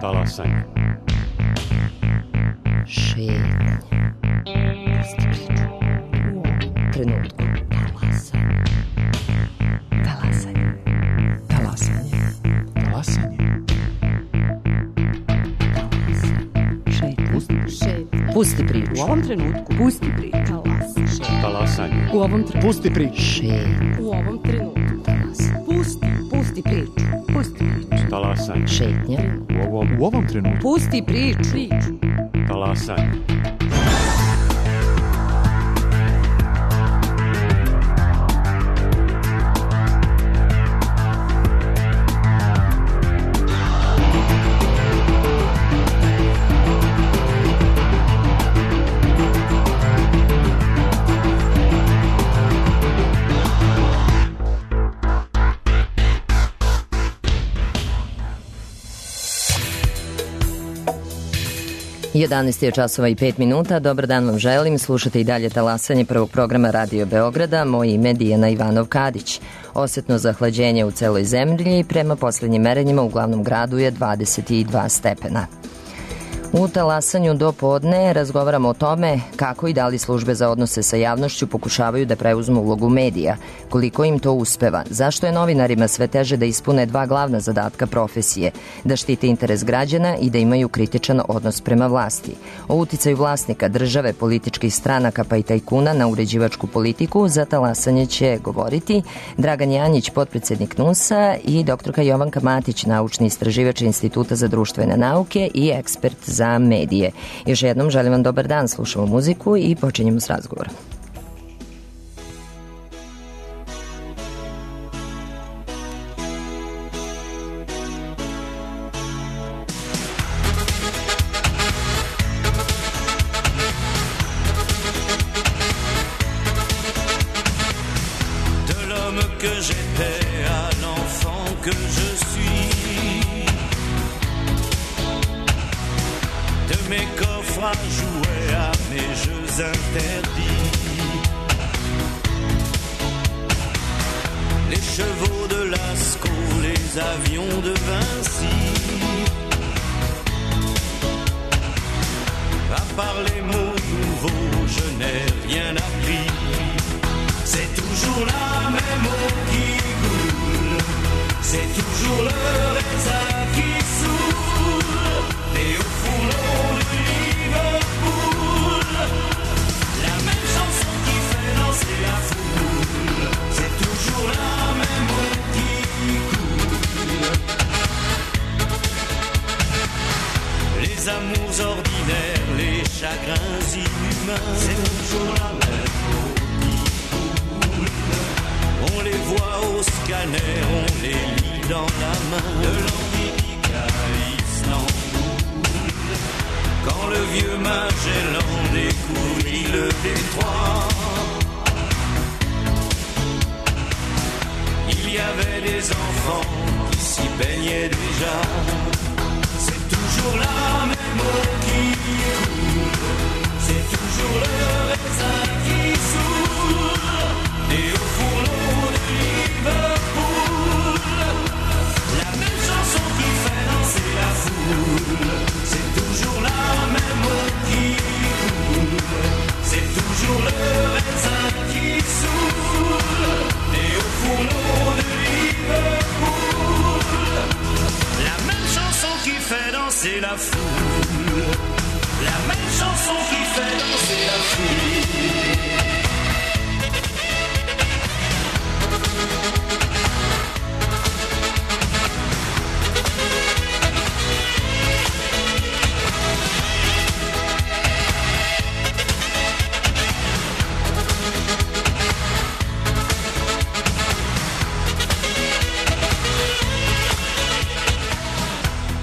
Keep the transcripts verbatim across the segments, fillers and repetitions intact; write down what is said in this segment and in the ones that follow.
Talasanje. Šetnja. Pusti priču. U trenutku. Talasanje. Talasanje. Talasanje. Talasanje. Šetnja. Pusti. Šetnja. Pusti priču. U ovom trenutku. Pusti priču. Talasanje. Talasanje. U ovom trenutku. Pusti priču. Šetnja. U ovom trenutku. Talasanje. Pusti. Pusti priču. Pusti priču. Talasanje. Šetnja. U ovom, u ovom trenutku. Pusti priču. Priču. Talasanje. jedanaest je časova i pet minuta. Dobar dan vam želim. Slušate i dalje talasanje prvog programa Radio Beograda. Moje ime je Dijana Ivanov-Kadić. Osetno zahlađenje u celoj zemlji prema poslednjim merenjima u glavnom gradu je dvadeset dva stepena. U talasanju do podne razgovaramo o tome kako i da li službe za odnose sa javnošću pokušavaju da preuzmu ulogu medija, koliko im to uspeva, zašto je novinarima sve teže da ispune dva glavna zadatka profesije, da štite interes građana i da imaju kritičan odnos prema vlasti. O uticaju vlasnika, države, političkih stranaka pa i tajkuna na uređivačku politiku za talasanje će govoriti Dragan Janjić, potpredsednik N U S-a, i doktorka Jovanka Matić, naučni istraživač Instituta za društvene nauke i ekspert za medije. Još jednom želim vam dobar dan, slušamo muziku i počinjemo s razgovorom. De l'homme que j'étais à l'enfant que je suis, de mes coffres à jouer à mes jeux interdits, les chevaux de Lascaux, les avions de Vinci, à part les mots nouveaux je n'ai rien appris, c'est toujours la même eau qui coule, c'est toujours le raisin qui saoule, et au fourneau de Liverpool, la même chanson qui fait danser la foule, c'est toujours la même eau qui coule. Les amours ordinaires, les chagrins inhumains, c'est toujours la même eau qui coule. On les voit au scanner, on les lit dans la main, de l'Amérique à Istanbul. Quand le vieux Magellan découvrit le détroit, il y avait des enfants qui s'y baignaient déjà. C'est toujours la même eau qui coule, c'est toujours le raisin qui saoule, et au fourneau de Liverpool, la même chanson qui fait danser la foule, c'est toujours la même eau qui coule, c'est toujours le raisin qui saoule, et au fourneau de Liverpool, la même chanson qui fait danser la foule, la même chanson qui fait danser la foule.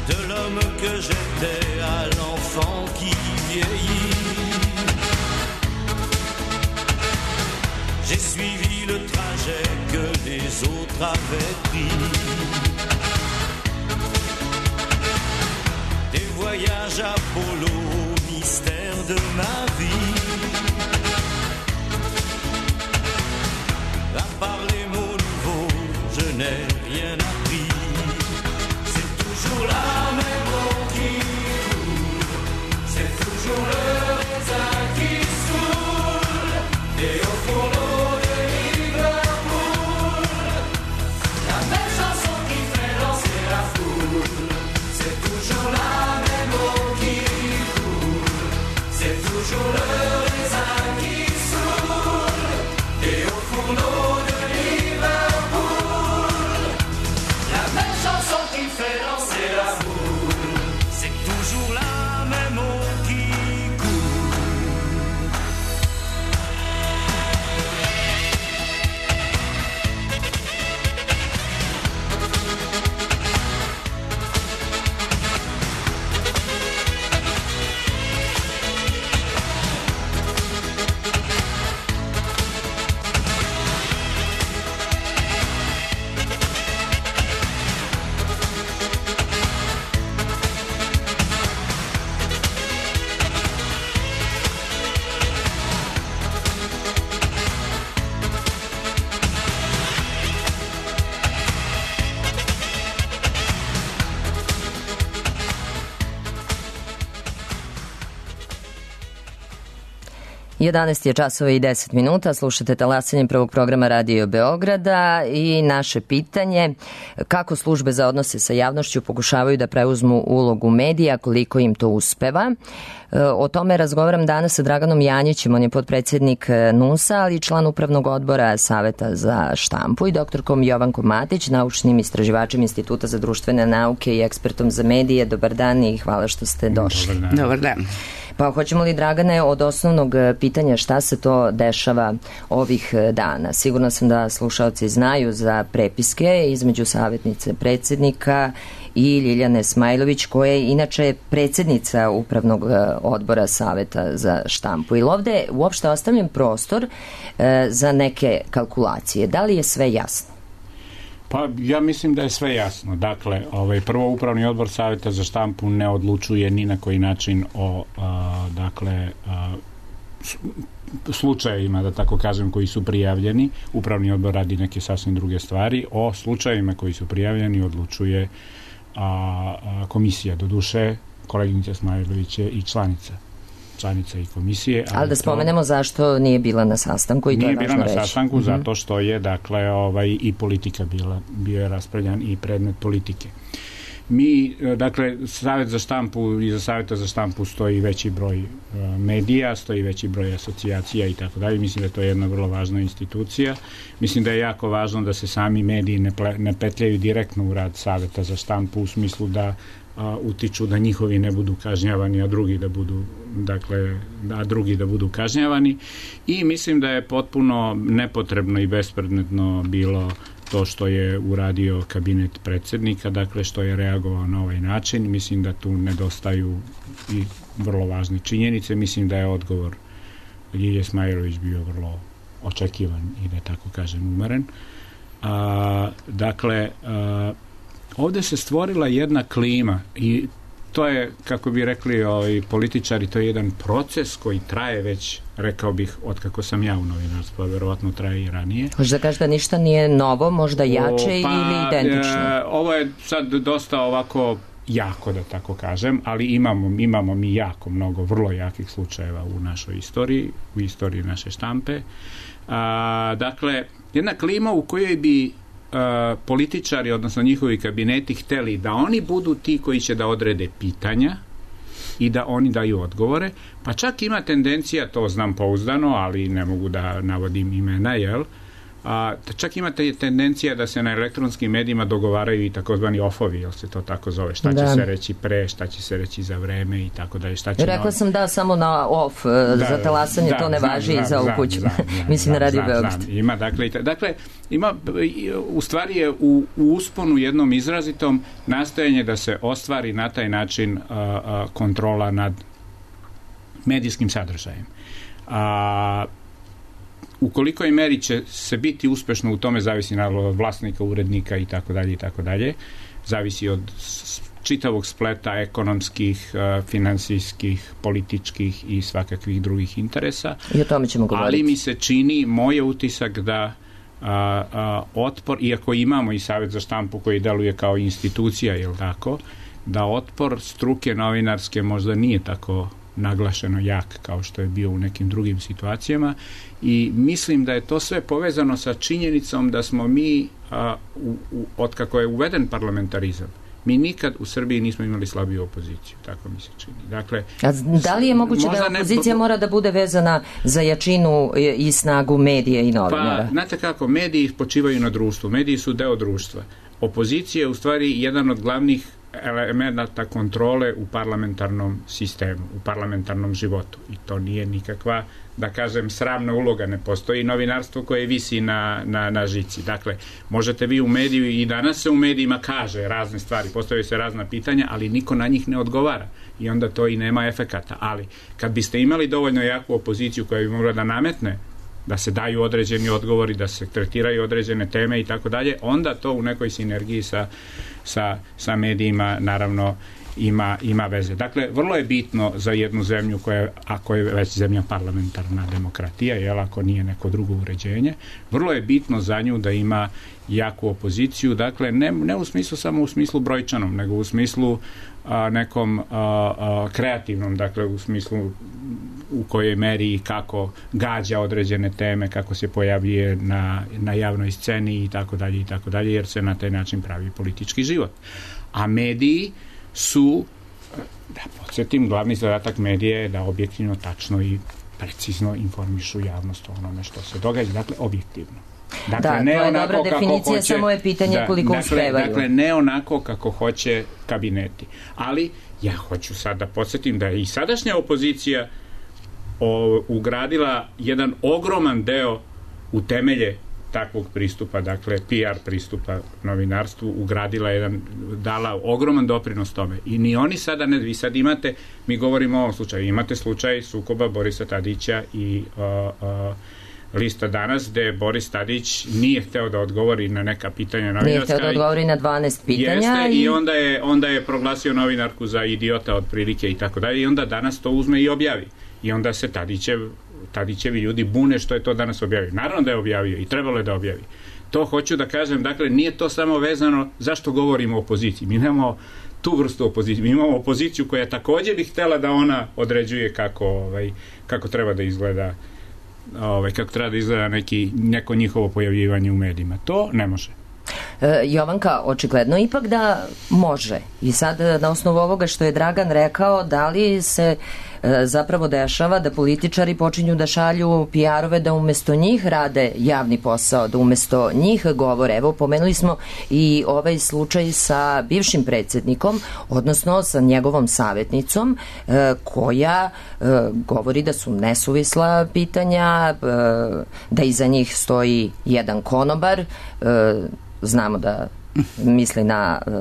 De l'homme que j'étais à l'enfant qui vieillit, j'ai suivi le trajet que les autres avaient pris, des voyages Apollo au mystère de ma vie, à part les mots nouveaux je n'ai rien appris, c'est toujours la même eau qui jedanaest je časova i deset minuta, slušate talasanje prvog programa Radio Beograda i naše pitanje kako službe za odnose sa javnošću pokušavaju da preuzmu ulogu medija, koliko im to uspeva. O tome razgovaram danas sa Draganom Janjićem, on je potpredsjednik N U S-a, ali i član upravnog odbora Saveta za štampu, i doktorkom Jovankom Matić, naučnim istraživačem Instituta za društvene nauke i ekspertom za medije. Dobar dan i hvala što ste došli. Dobar dan. Dobar dan. Pa hoćemo li, Dragane, od osnovnog pitanja šta se to dešava ovih dana? Sigurno sam da slušaoci znaju za prepiske između savjetnice predsjednika i Ljiljane Smajlović, koja je inače predsjednica upravnog odbora Saveta za štampu. Ili ovde uopšte ostavljen prostor e, za neke kalkulacije? Da li je sve jasno? Pa ja mislim da je sve jasno. Dakle, ovaj, prvo upravni odbor Saveta za štampu ne odlučuje ni na koji način o a, dakle a, slučajevima, da tako kažem, koji su prijavljeni. Upravni odbor radi neke sasvim druge stvari. O slučajevima koji su prijavljeni odlučuje a, a, komisija. Doduše, koleginica Smajlović je i članica članica i komisije. Ali, ali da spomenemo to, zašto nije bila na sastanku i to je važno reći. Nije bila na sastanku mm-hmm. zato što je, dakle, ovaj, i politika bila, bio je raspravljan i predmet politike. Mi, dakle, Savet za štampu i za Saveta za štampu stoji veći broj uh, medija, stoji veći broj asocijacija i tako dalje. Mislim da je to jedna vrlo važna institucija. Mislim da je jako važno da se sami mediji ne, ple, ne petljaju direktno u rad Saveta za štampu u smislu da a, utiču da njihovi ne budu kažnjavani, a drugi da budu, dakle, a drugi da budu kažnjavani. I mislim da je potpuno nepotrebno i bespredmetno bilo to što je uradio kabinet predsjednika, dakle što je reagovao na ovaj način. Mislim da tu nedostaju i vrlo važne činjenice. Mislim da je odgovor Ljilje Smajlović bio vrlo očekivan i da tako kažem umeren. A, dakle, a, ovdje se stvorila jedna klima i to je, kako bi rekli ovi političari, to je jedan proces koji traje već, rekao bih, od kako sam ja u novinarstvu, a verovatno traje i ranije. Možda kaže da ništa nije novo, možda jače o, pa, ili identično? E, ovo je sad dosta ovako jako, da tako kažem, ali imamo, imamo mi jako mnogo vrlo jakih slučajeva u našoj istoriji, u istoriji naše štampe. A, dakle, jedna klima u kojoj bi Uh, političari, odnosno njihovi kabineti, hteli da oni budu ti koji će da odrede pitanja i da oni daju odgovore, pa čak ima tendencija, to znam pouzdano, ali ne mogu da navodim imena, jel? A, čak imate tendencija da se na elektronskim medijima dogovaraju i takozvani ofovi, jel se to tako zove, šta da. će se reći pre, šta će se reći za vreme i tako dalje. Šta će Rekla na... sam da samo na off, da, za talasanje da, to ne važi i za ovu kuću. Mislim na Radio Beograd. Ima, dakle, dakle, ima, u stvari je u, u usponu jednom izrazitom nastojanje da se ostvari na taj način a, a, kontrola nad medijskim sadržajem. A u kolikoj meri će se biti uspešno u tome zavisi naravno od vlasnika, urednika i tako dalje i tako dalje. Zavisi od čitavog spleta ekonomskih, finansijskih, političkih i svakakvih drugih interesa. I o tome ćemo govoriti. Ali mi se čini, moj je utisak da a, a, otpor, iako imamo i Savet za štampu koji deluje kao institucija, jel tako, da otpor struke novinarske možda nije tako naglašeno jak kao što je bio u nekim drugim situacijama i mislim da je to sve povezano sa činjenicom da smo mi a, u, u, od kako je uveden parlamentarizam, mi nikad u Srbiji nismo imali slabiju opoziciju, tako mi se čini. Dakle, a da li je moguće da opozicija ne... mora da bude vezana za jačinu i snagu medija i novinara? Pa, znate kako, mediji počivaju na društvu, mediji su deo društva. Opozicija je u stvari jedan od glavnih elemenata kontrole u parlamentarnom sistemu, u parlamentarnom životu. I to nije nikakva, da kažem, sramna uloga. Ne postoji novinarstvo koje visi na, na, na žici. Dakle, možete vi u mediju i danas se u medijima kaže razne stvari, postavljaju se razna pitanja, ali niko na njih ne odgovara. I onda to i nema efekata. Ali, kad biste imali dovoljno jaku opoziciju koja bi mogla da nametne da se daju određeni odgovori, da se tretiraju određene teme i tako dalje, onda to u nekoj sinergiji sa, sa, sa medijima naravno ima, ima veze. Dakle, vrlo je bitno za jednu zemlju koja, ako je već zemlja parlamentarna demokratija, jel, ako nije neko drugo uređenje, vrlo je bitno za nju da ima jaku opoziciju, dakle, ne, ne u smislu samo u smislu brojčanom, nego u smislu a, nekom a, a, kreativnom, dakle, u smislu u kojoj meri i kako gađa određene teme, kako se pojavljuje na, na javnoj sceni i tako dalje i tako dalje, jer se na taj način pravi politički život. A mediji su, da podsjetim, glavni zadatak medija je da objektivno, tačno i precizno informišu javnost o onome što se događa, dakle, objektivno. Dakle, da, ne to je onako dobra definicija, hoće, samo je pitanje da, koliko dakle, uspevaju. Dakle, ne onako kako hoće kabineti. Ali ja hoću sad da podsjetim da je i sadašnja opozicija o, ugradila jedan ogroman deo u temelje takvog pristupa, dakle P R pristupa novinarstvu, ugradila jedan, dala ogroman doprinos tome. I ni oni sada ne, vi sad imate, mi govorimo o ovom slučaju, imate slučaj sukoba Borisa Tadića i uh, uh, Lista Danas, gde Boris Tadić nije hteo da odgovori na neka pitanja novinarska. Nije hteo da odgovori na dvanaest pitanja. Jeste, i... i onda je, onda je proglasio novinarku za idiota otprilike i tako dalje, i onda danas to uzme i objavi. I onda se Tadićev, Tadićevi ljudi bune što je to danas objavio. Naravno da je objavio i trebalo je da objavi. To hoću da kažem, dakle, nije to samo vezano zašto govorimo o opoziciji. Mi nemamo tu vrstu opozicije. Mi imamo opoziciju koja takođe bi htela da ona određuje kako, ovaj, kako treba da izgleda ovaj, kako treba da izgleda neki, neko njihovo pojavljivanje u medijima. To ne može. E, Jovanka, očigledno ipak da može. I sad na osnovu ovoga što je Dragan rekao, da li se e, zapravo dešava da političari počinju da šalju P R-ove da umesto njih rade javni posao, da umesto njih govore. Evo, pomenuli smo i ovaj slučaj sa bivšim predsjednikom, odnosno sa njegovom savjetnicom, e, koja e, govori da su nesuvisla pitanja, e, da iza njih stoji jedan konobar, e, znamo da misli na uh,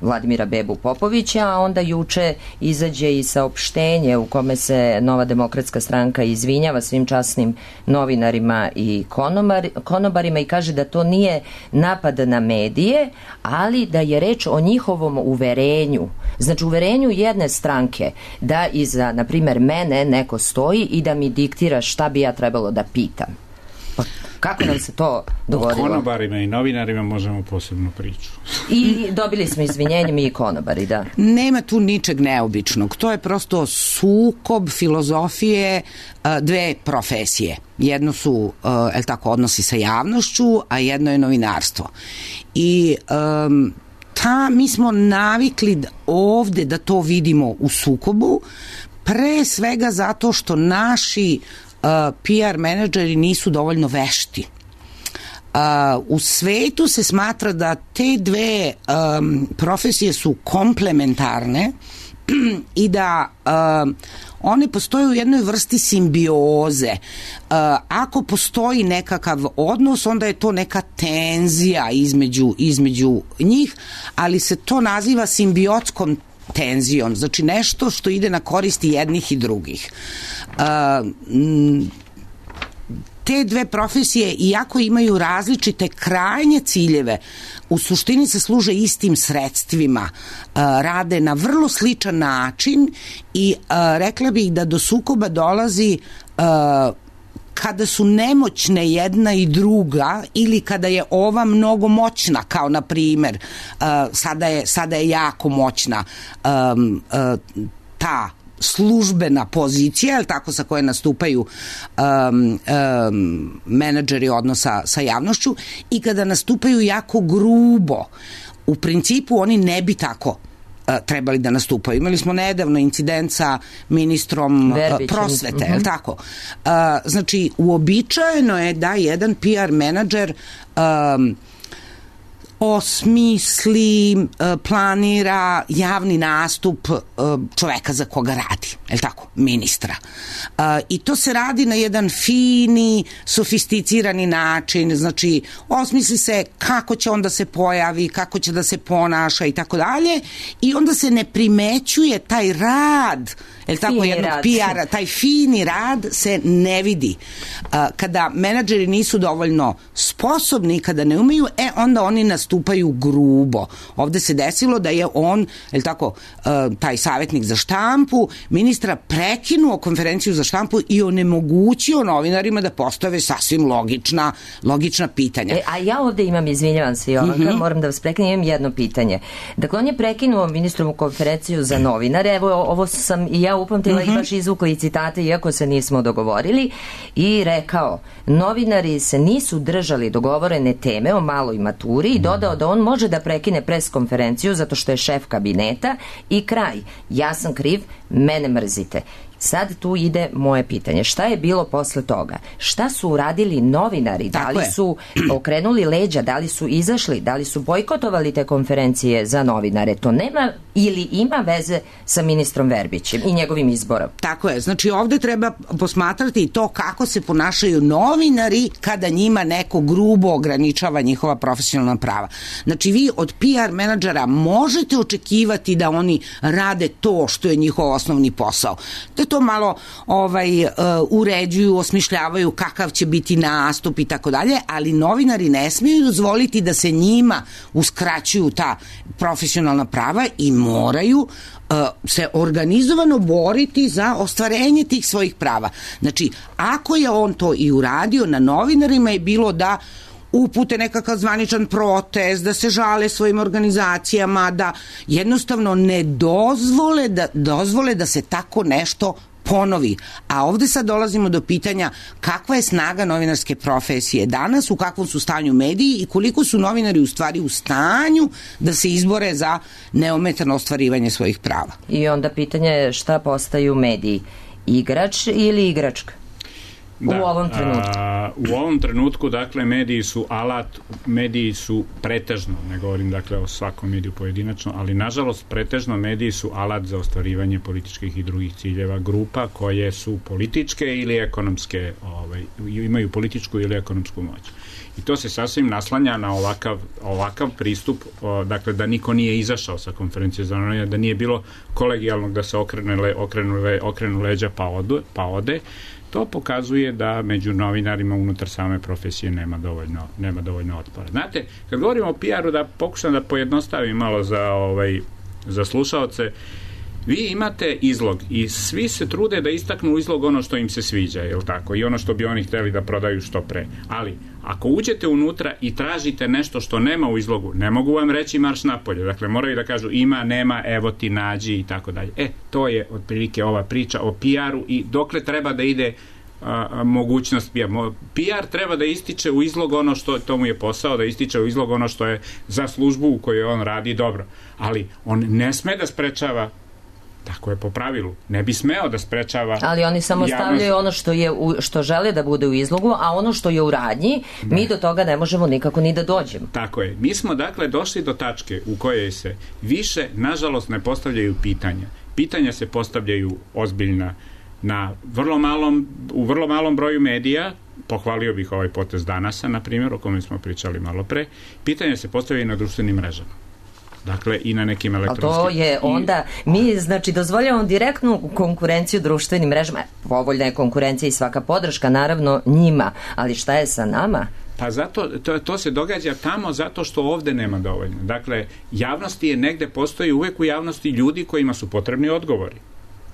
Vladimira Bebu Popovića, a onda juče izađe i saopštenje u kome se Nova demokratska stranka izvinjava svim časnim novinarima i konobar, konobarima i kaže da to nije napad na medije, ali da je reč o njihovom uverenju. Znači, uverenju jedne stranke da iza, na primjer, mene neko stoji i da mi diktira šta bi ja trebalo da pitam. Pa kako nam se to dogodilo? O konobarima i novinarima možemo posebnu priču. I dobili smo izvinjenje mi i konobari, da. Nema tu ničeg neobičnog. To je prosto sukob filozofije dve profesije. Jedno su, el tako, odnosi sa javnošću, a jedno je novinarstvo. I um, ta, mi smo navikli ovde da to vidimo u sukobu, pre svega zato što naši Uh, P R menadžeri nisu dovoljno vešti. Uh, u svetu se smatra da te dve um, profesije su komplementarne i da uh, one postoje u jednoj vrsti simbioze. Uh, ako postoji nekakav odnos, onda je to neka tenzija između, između njih, ali se to naziva simbiotskom tenzijom, znači nešto što ide na koristi jednih i drugih. Uh, te dve profesije, iako imaju različite krajnje ciljeve, u suštini se služe istim sredstvima, uh, rade na vrlo sličan način i uh, rekla bih da do sukoba dolazi uh, kada su nemoćne jedna i druga ili kada je ova mnogo moćna, kao na primer uh, sada, je, sada je jako moćna um, uh, ta službena pozicija, ili tako, sa koje nastupaju um, um, menadžeri odnosa sa javnošću, i kada nastupaju jako grubo. U principu oni ne bi tako trebali da nastupaju. Imali smo nedavno incident sa ministrom Verbićem. prosvete, uh-huh. je li tako? Uh, znači, uobičajeno je da jedan P R menadžer um, osmisli, uh, planira javni nastup uh, čoveka za koga radi. je li tako, ministra. Uh, I to se radi na jedan fini, sofisticirani način, znači osmisli se kako će on da se pojavi, kako će da se ponaša i tako dalje, i onda se ne primećuje taj rad, je li tako, jednog P R-a, taj fini rad se ne vidi. Uh, kada menadžeri nisu dovoljno sposobni, kada ne umeju, e, onda oni nastupaju grubo. Ovde se desilo da je on, je li tako, uh, taj savjetnik za štampu, ministra prekinuo konferenciju za štampu i onemogućio novinarima da postave sasvim logična, logična pitanja. E, a ja ovde imam, izvinjavam se, Jovanka, mm-hmm. moram da vas prekinem, imam jedno pitanje. Dakle, on je prekinuo ministrovu konferenciju za novinare, evo, ovo sam i ja upamtila mm-hmm. i baš izvukla i citate, iako se nismo dogovorili, i rekao, novinari se nisu držali dogovorene teme o maloj maturi i dodao da on može da prekine pres konferenciju zato što je šef kabineta i kraj. Ja sam kriv, mene mrzite. Sad tu ide moje pitanje. Šta je bilo posle toga? Šta su uradili novinari? Da li su okrenuli leđa? Da li su izašli? Da li su bojkotovali te konferencije za novinare? To nema ili ima veze sa ministrom Verbićem i njegovim izborom? Tako je. Znači ovde treba posmatrati to kako se ponašaju novinari kada njima neko grubo ograničava njihova profesionalna prava. Znači vi od P R menadžera možete očekivati da oni rade to što je njihov osnovni posao. Da to malo ovaj uh, uređuju, osmišljavaju kakav će biti nastup i tako dalje, ali novinari ne smiju dozvoliti da se njima uskraćuju ta profesionalna prava i moraju uh, se organizovano boriti za ostvarenje tih svojih prava. Znači, ako je on to i uradio, na novinarima je bilo da upute nekakav zvaničan protest, da se žale svojim organizacijama, da jednostavno ne dozvole da, dozvole da se tako nešto ponovi. A ovde sad dolazimo do pitanja kakva je snaga novinarske profesije danas, u kakvom su stanju mediji i koliko su novinari u stvari u stanju da se izbore za neometano ostvarivanje svojih prava. I onda pitanje je šta postaju mediji? Igrač ili igračka? Da, u ovom trenutku. A, u ovom trenutku, dakle, mediji su alat, mediji su pretežno, ne govorim, dakle, o svakom mediju pojedinačno, ali, nažalost, pretežno mediji su alat za ostvarivanje političkih i drugih ciljeva grupa koje su političke ili ekonomske, ovaj, imaju političku ili ekonomsku moć. I to se sasvim naslanja na ovakav, ovakav pristup, o, dakle, da niko nije izašao sa konferencije za novinare, da nije bilo kolegijalnog da se okrene, le, okrenu, le, okrenu leđa pa, odu, pa ode. To pokazuje da među novinarima unutar same profesije nema dovoljno, nema dovoljno otpora. Znate, kad govorimo o P R-u, da pokušam da pojednostavim malo za, ovaj, za slušaoce, vi imate izlog i svi se trude da istaknu u izlog ono što im se sviđa, je li tako? I ono što bi oni hteli da prodaju što pre. Ali, ako uđete unutra i tražite nešto što nema u izlogu, ne mogu vam reći marš napolje. Dakle, moraju da kažu ima, nema, evo ti, nađi i tako dalje. E, to je otprilike ova priča o P R-u i dokle treba da ide a, a, mogućnost P R. P R treba da ističe u izlog ono što to mu je posao, da ističe u izlog ono što je za službu u kojoj on radi dobro. Ali on ne sme da sprečava, tako je po pravilu, ne bi smeo da sprečava. Ali oni samo javnost stavljaju ono što je u, što žele da bude u izlogu, a ono što je u radnji, da. Mi do toga ne možemo nikako ni da dođemo. Tako je. Mi smo dakle došli do tačke u kojoj se više, nažalost, ne postavljaju pitanja. Pitanja se postavljaju ozbiljna na vrlo malom, u vrlo malom broju medija. Pohvalio bih ovaj potez Danasa, na primjer, o kome smo pričali malo pre. Pitanja se postavljaju na društvenim mrežama. Dakle, i na nekim elektronskim. A to je onda, mi znači dozvoljavamo direktnu konkurenciju društvenim mrežama. Povoljna je konkurencija i svaka podrška, naravno, njima. Ali šta je sa nama? Pa zato, to, to se događa tamo zato što ovde nema dovoljno. Dakle, javnosti je negde, postoji uvek u javnosti ljudi kojima su potrebni odgovori,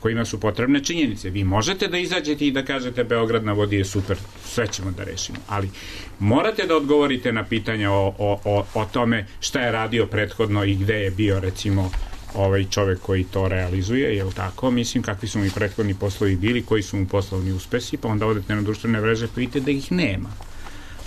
kojima su potrebne činjenice. Vi možete da izađete i da kažete Beograd na vodi je super, sve ćemo da rešimo, ali morate da odgovorite na pitanja o, o, o, o tome šta je radio prethodno i gde je bio, recimo, ovaj čovek koji to realizuje, je li tako? Mislim, kakvi su mi prethodni poslovi bili, koji su mu poslovni uspesi, pa onda odete na društvene mreže pa vidite da ih nema.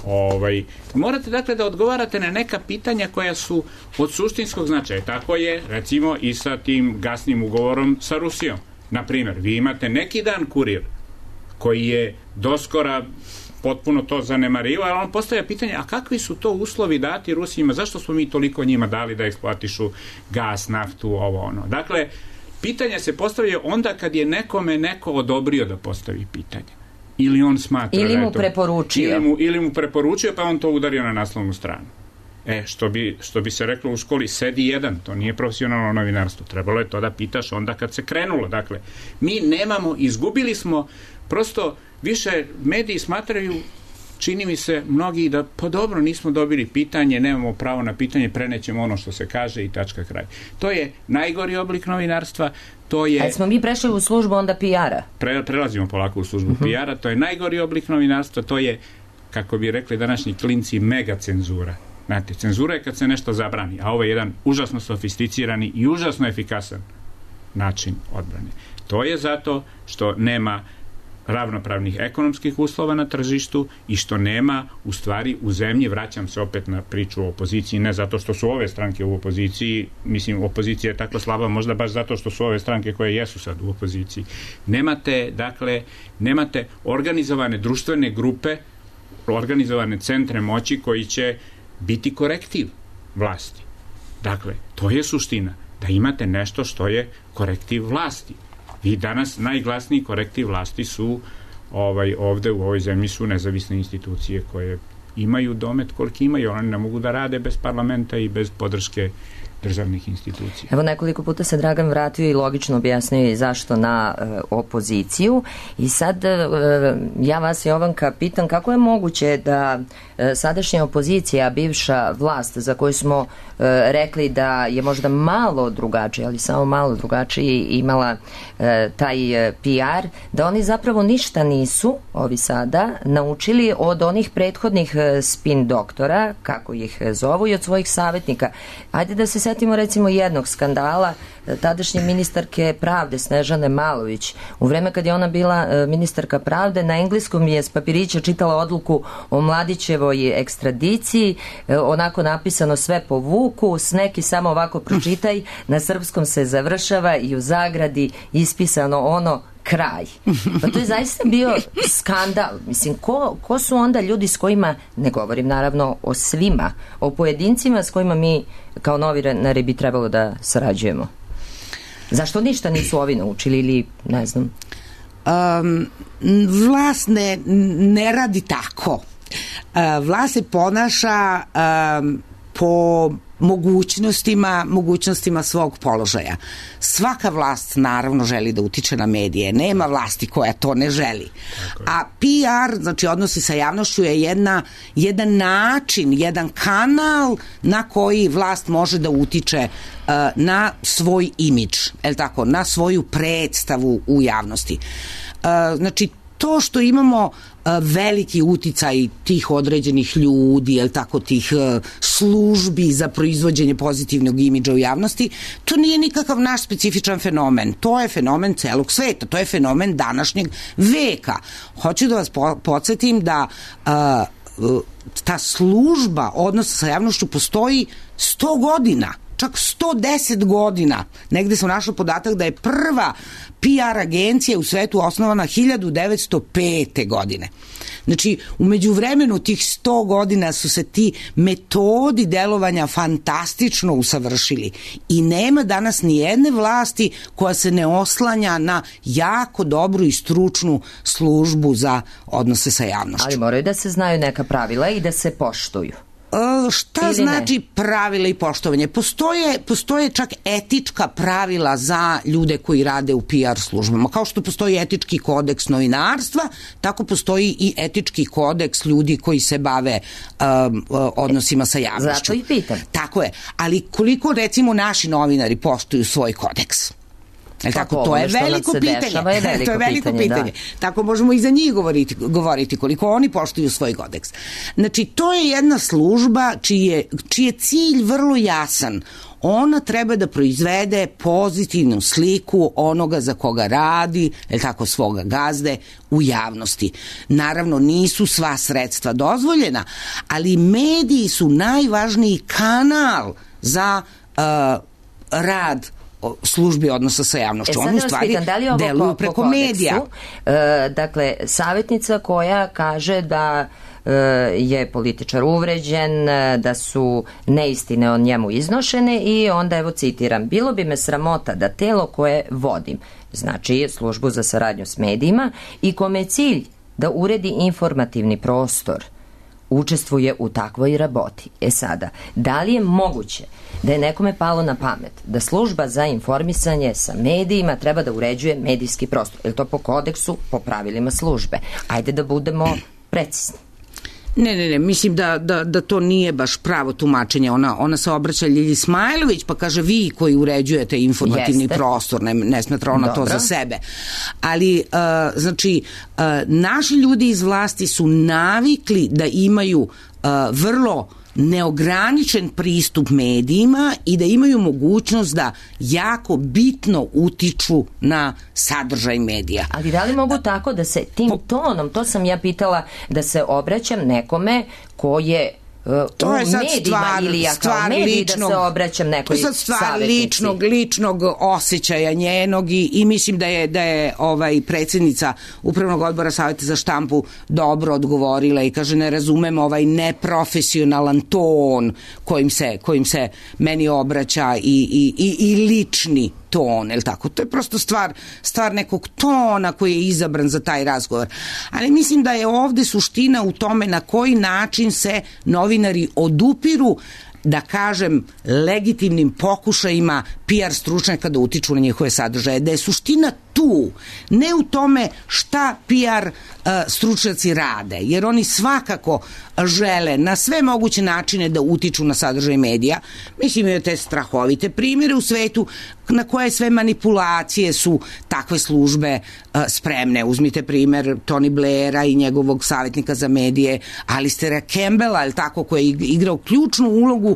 Ovaj, morate dakle da odgovarate na neka pitanja koja su od suštinskog značaja. Tako je, recimo, i sa tim gasnim ugovorom sa Rusijom. Na primjer, vi imate neki dan Kurir koji je doskora potpuno to zanemario, ali on postavlja pitanje, a kakvi su to uslovi dati Rusijima, zašto smo mi toliko njima dali da eksploatišu gas, naftu, ovo ono. Dakle, pitanja se postavljaju onda kad je nekome neko odobrio da postavi pitanje. Ili on smatra ili da mu je to, preporučio. Ili mu, ili mu preporučio, pa on to udario na naslovnu stranu. E, što bi, što bi se reklo u školi, sedi jedan, to nije profesionalno novinarstvo. Trebalo je to da pitaš onda kad se krenulo. Dakle, mi nemamo, izgubili smo, prosto više mediji smatraju, čini mi se mnogi da, pa dobro, nismo dobili pitanje, nemamo pravo na pitanje, prenećemo ono što se kaže i tačka kraj. To je najgori oblik novinarstva, to je... A smo mi prešli u službu onda P R-a? Pre, prelazimo polako u službu uh-huh. P R-a, to je najgori oblik novinarstva, to je, kako bi rekli današnji klinci, mega cenzura. Znate, cenzura je kad se nešto zabrani, a ovo je jedan užasno sofisticirani i užasno efikasan način odbrane. To je zato što nema ravnopravnih ekonomskih uslova na tržištu i što nema, u stvari, u zemlji, vraćam se opet na priču o opoziciji, ne zato što su ove stranke u opoziciji, mislim, opozicija je tako slaba, možda baš zato što su ove stranke koje jesu sad u opoziciji. Nemate, dakle, nemate organizovane društvene grupe, organizovane centre moći koji će biti korektiv vlasti. Dakle, to je suština, da imate nešto što je korektiv vlasti. I danas najglasniji korektiv vlasti su ovaj, ovde u ovoj zemlji su nezavisne institucije koje imaju domet koliko imaju, oni ne mogu da rade bez parlamenta i bez podrške državnih institucija. Evo, nekoliko puta se Dragan vratio i logično objasnio i zašto na e, opoziciju i sad e, ja vas, Jovanka, pitam kako je moguće da e, sadašnja opozicija, bivša vlast za koju smo e, rekli da je možda malo drugačije, ali samo malo drugačije imala e, taj e, P R, da oni zapravo ništa nisu, ovi sada, naučili od onih prethodnih e, spin doktora, kako ih zovu, i od svojih savjetnika. Ajde da se setimo recimo jednog skandala tadašnje ministarke pravde Snežane Malović. U vreme kad je ona bila ministarka pravde, na engleskom je s papirića čitala odluku o Mladićevoj ekstradiciji, onako napisano sve po Vuku, s neki samo ovako pročitaj, na srpskom se završava i u zagradi ispisano ono kraj. Pa to je zaista bio skandal. Mislim, ko, ko su onda ljudi s kojima, ne govorim naravno o svima, o pojedincima s kojima mi kao novinari bi trebalo da sarađujemo? Zašto ništa nisu ovi naučili ili ne znam? Um, vlast ne, ne radi tako. Uh, vlast se ponaša um, po mogućnostima, mogućnostima svog položaja. Svaka vlast naravno želi da utiče na medije. Nema vlasti koja to ne želi. A P R, znači odnosi sa javnošću, je jedna, jedan način, jedan kanal na koji vlast može da utiče uh, na svoj imidž, je li tako, na svoju predstavu u javnosti. Uh, znači, to što imamo uh, veliki uticaj tih određenih ljudi, jel tako, tih uh, službi za proizvođenje pozitivnog imidža u javnosti, to nije nikakav naš specifičan fenomen. To je fenomen celog sveta, to je fenomen današnjeg veka. Hoću da vas po- podsjetim da uh, uh, ta služba odnosa sa javnošću postoji sto godina, čak sto deset godina. Negde sam našla podatak da je prva P R agencija u svetu osnovana hiljadu devetsto pete. godine. Znači, u međuvremenu tih sto godina su se ti metodi delovanja fantastično usavršili i nema danas ni jedne vlasti koja se ne oslanja na jako dobru i stručnu službu za odnose sa javnošću. Ali moraju da se znaju neka pravila i da se poštuju. Uh, šta ili znači ne? Pravila i poštovanje? Postoje, postoje čak etička pravila za ljude koji rade u P R službama. Kao što postoji etički kodeks novinarstva, tako postoji i etički kodeks ljudi koji se bave um, odnosima sa javnošću. Zato i pitam. Tako je. Ali koliko, recimo, naši novinari poštuju svoj kodeks? E, tako, to je veliko pitanje. Dešava, je veliko to je veliko pitanje. pitanje. Da. Tako možemo i za njih govoriti, govoriti koliko oni poštuju svoj kodeks. Znači, to je jedna služba čiji je, čiji je cilj vrlo jasan. Ona treba da proizvede pozitivnu sliku onoga za koga radi, je tako, svoga gazde u javnosti. Naravno, nisu sva sredstva dozvoljena, ali mediji su najvažniji kanal za uh, rad službi odnosa sa javnošću. E, Oni u stvari pitan, da li deluju po, preko po kodeksu, medija. E, dakle, savjetnica koja kaže da je političar uvređen, da su neistine o njemu iznošene i onda evo citiram: bilo bi me sramota da telo koje vodim, znači službu za saradnju s medijima i kome je cilj da uredi informativni prostor, učestvuje u takvoj raboti. E sada, da li je moguće da je nekome palo na pamet da služba za informisanje sa medijima treba da uređuje medijski prostor? Je li to po kodeksu, po pravilima službe? Ajde da budemo precizni. Ne, ne, ne, mislim da, da, da to nije baš pravo tumačenje. Ona, ona se obraća Ljilji Smajlović pa kaže vi koji uređujete informativni Jeste. prostor, ne, ne smatra ona Dobro. to za sebe. Ali, uh, znači, uh, naši ljudi iz vlasti su navikli da imaju uh, vrlo neograničen pristup medijima i da imaju mogućnost da jako bitno utiču na sadržaj medija. Ali da li mogu tako da se tim tonom, to sam ja pitala, da se obraćam nekome ko je to je sad medijima, stvar, ili ja kao stvar mediji ličnog, da se obraćam nekoj to je sad stvar savjetnici. ličnog, ličnog osjećaja njenog i, i mislim da je, da je ovaj predsjednica Upravnog odbora Saveta za štampu dobro odgovorila i kaže ne razumem ovaj neprofesionalan ton kojim se, kojim se meni obraća i, i, i, i lični ton, el tako? To je prosto stvar, stvar nekog tona koji je izabran za taj razgovor. Ali mislim da je ovde suština u tome na koji način se novinari odupiru, da kažem, legitimnim pokušajima P R stručnjaka da utiču na njihove sadržaje. Da je suština tu, ne u tome šta P R uh, stručnjaci rade, jer oni svakako žele na sve moguće načine da utiču na sadržaj medija. Mislim, imaju te strahovite primjere u svetu na koje sve manipulacije su takve službe uh, spremne. Uzmite primjer Tony Blaira i njegovog savjetnika za medije Alistera Campbella, je tako, koji je igrao ključnu ulogu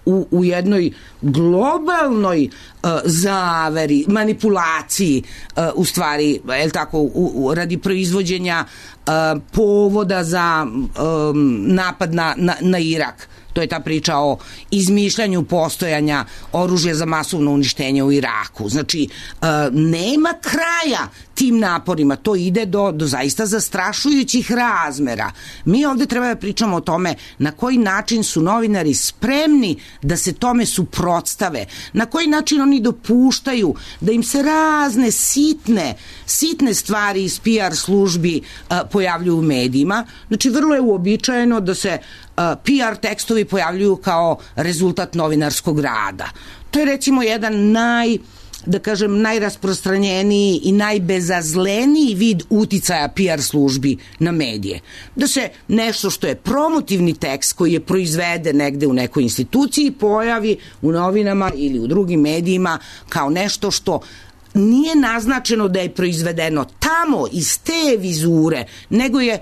u, u jednoj globalnoj uh, zaveri, manipulaciji uh, u stvari, je tako, u, u, radi proizvođenja uh, povoda za um, napad na, na, na Irak. To je ta priča o izmišljanju postojanja oružja za masovno uništenje u Iraku. Znači, uh, nema kraja tim naporima. To ide do, do zaista zastrašujućih razmera. Mi ovde treba da pričamo o tome na koji način su novinari spremni da se tome suprotstave. Na koji način oni dopuštaju da im se razne sitne, sitne stvari iz P R službi uh, pojavljuju u medijima. Znači, vrlo je uobičajeno da se uh, P R tekstovi pojavljuju kao rezultat novinarskog rada. To je recimo jedan naj da kažem, najrasprostranjeniji i najbezazleniji vid uticaja P R službi na medije. Da se nešto što je promotivni tekst koji je proizveden negde u nekoj instituciji pojavi u novinama ili u drugim medijima kao nešto što nije naznačeno da je proizvedeno tamo iz te vizure, nego je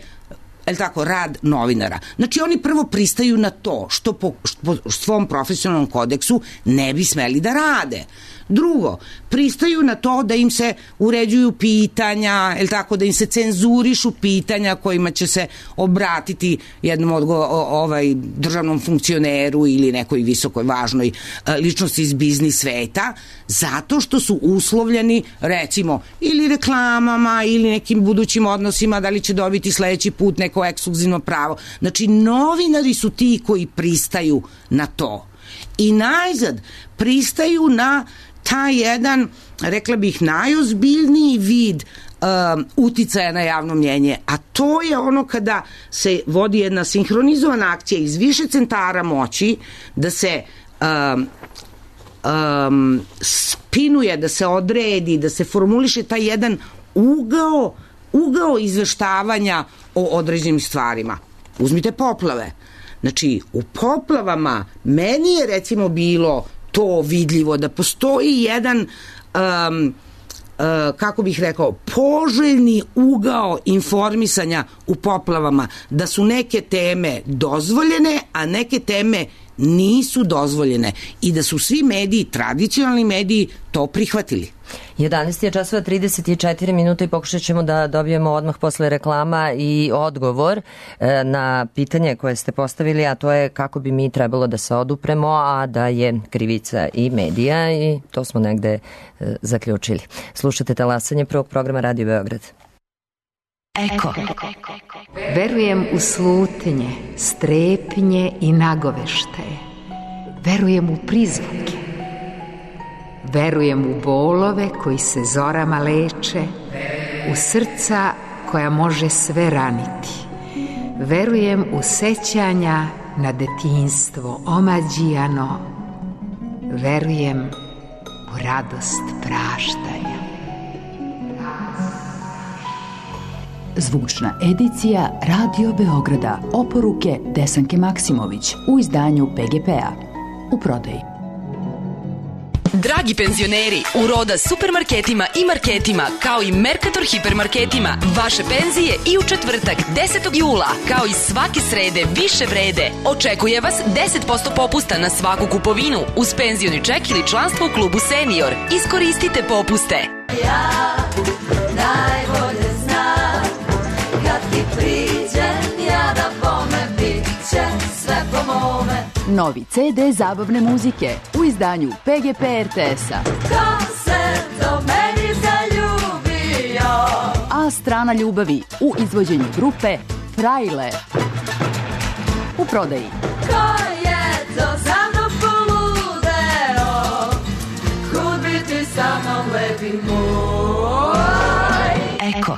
el tako, rad novinara. Znači, oni prvo pristaju na to što po, što po svom profesionalnom kodeksu ne bi smeli da rade. Drugo, pristaju na to da im se uređuju pitanja, el tako, da im se cenzurišu pitanja kojima će se obratiti jednom odgo, ovaj, državnom funkcioneru ili nekoj visokoj važnoj ličnosti iz biznis sveta, zato što su uslovljeni, recimo, ili reklamama ili nekim budućim odnosima, da li će dobiti sledeći put neko ekskluzivno pravo. Znači, novinari su ti koji pristaju na to. I najzad pristaju na taj jedan, rekla bih, najozbiljniji vid um, uticaja na javno mnjenje, a to je ono kada se vodi jedna sinhronizovana akcija iz više centara moći, da se um, um, spinuje, da se odredi, da se formuliše taj jedan ugao, ugao izveštavanja o određenim stvarima. Uzmite poplave. Znači, u poplavama meni je recimo bilo to vidljivo da postoji jedan um, uh, kako bih rekao, poželjni ugao informisanja u poplavama, da su neke teme dozvoljene, a neke teme nisu dozvoljene i da su svi mediji, tradicionalni mediji, to prihvatili. jedanaest je časova trideset četiri minuta i pokušat ćemo da dobijemo odmah posle reklama i odgovor na pitanje koje ste postavili, a to je kako bi mi trebalo da se odupremo, a da je krivica i medija, i to smo negde zaključili. Slušate talasanje prvog programa Radio Beograd. Eko. Verujem u slutnje, strepnje i nagoveštaje. Verujem u prizvuke. Verujem u bolove koji se zorama leče, u srca koja može sve raniti. Verujem u sećanja na detinjstvo omađijano. Verujem u radost praštanja. Zvučna edicija Radio Beograda. Oporuke Desanke Maksimović u izdanju P G P-a. U prodaji. Dragi penzioneri, u Roda supermarketima i marketima, kao i Mercator hipermarketima, vaše penzije i u četvrtak desetog jula, kao i svake srede više vrede. Očekuje vas deset posto popusta na svaku kupovinu uz penzioni ček ili članstvo u klubu Senior. Iskoristite popuste. Ja najbolje znam, kad ti priđem ja da bome, bit će sve po mome. Novi ce de zabavne muzike u izdanju P G P R T S-a. Ko se do meni zaljubio? A strana ljubavi u izvođenju grupe Frajle. U prodaji. Ko je to za mnom poludeo? Kud bi ti sa mnom lepi moj? Eko.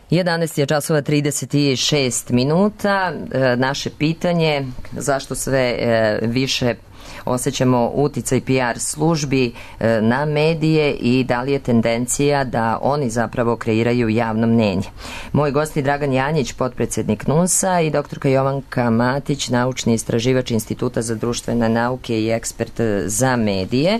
jedanaest je časova trideset šest minuta. E, naše pitanje, zašto sve e, više osjećamo uticaj P R službi e, na medije i da li je tendencija da oni zapravo kreiraju javno mnenje. Moj gost je Dragan Janjić, potpredsjednik N U S-a, i doktorka Jovanka Matić, naučni istraživač Instituta za društvene nauke i ekspert za medije.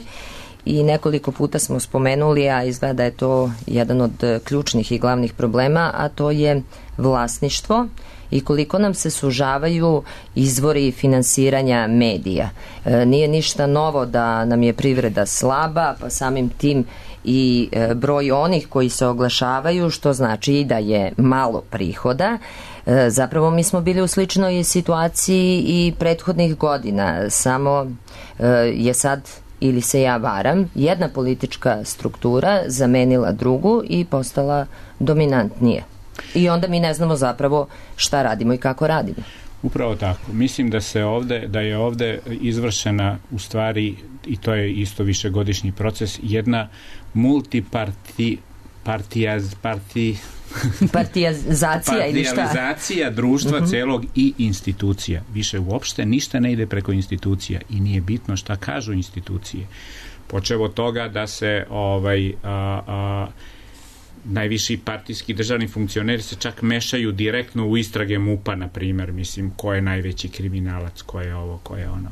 I nekoliko puta smo spomenuli, a izgleda da je to jedan od ključnih i glavnih problema, a to je vlasništvo i koliko nam se sužavaju izvori finansiranja medija. E, nije ništa novo da nam je privreda slaba, pa samim tim i e, broj onih koji se oglašavaju, što znači da je malo prihoda. E, zapravo mi smo bili u sličnoj situaciji i prethodnih godina, samo e, je sad, ili se ja varam, jedna politička struktura zamenila drugu i postala dominantnije. I onda mi ne znamo zapravo šta radimo i kako radimo. Upravo tako. Mislim da se ovde, da je ovde izvršena u stvari, i to je isto višegodišnji proces, jedna multiparti partijaz, parti partijazacija ili šta? Partijalizacija društva uh-huh. celog i institucija. Više uopšte ništa ne ide preko institucija i nije bitno šta kažu institucije. Počevo od toga da se ovaj a, a, najviši partijski državni funkcioneri se čak mešaju direktno u istrage MUP-a, na primjer, mislim, ko je najveći kriminalac, ko je ovo, ko je ono.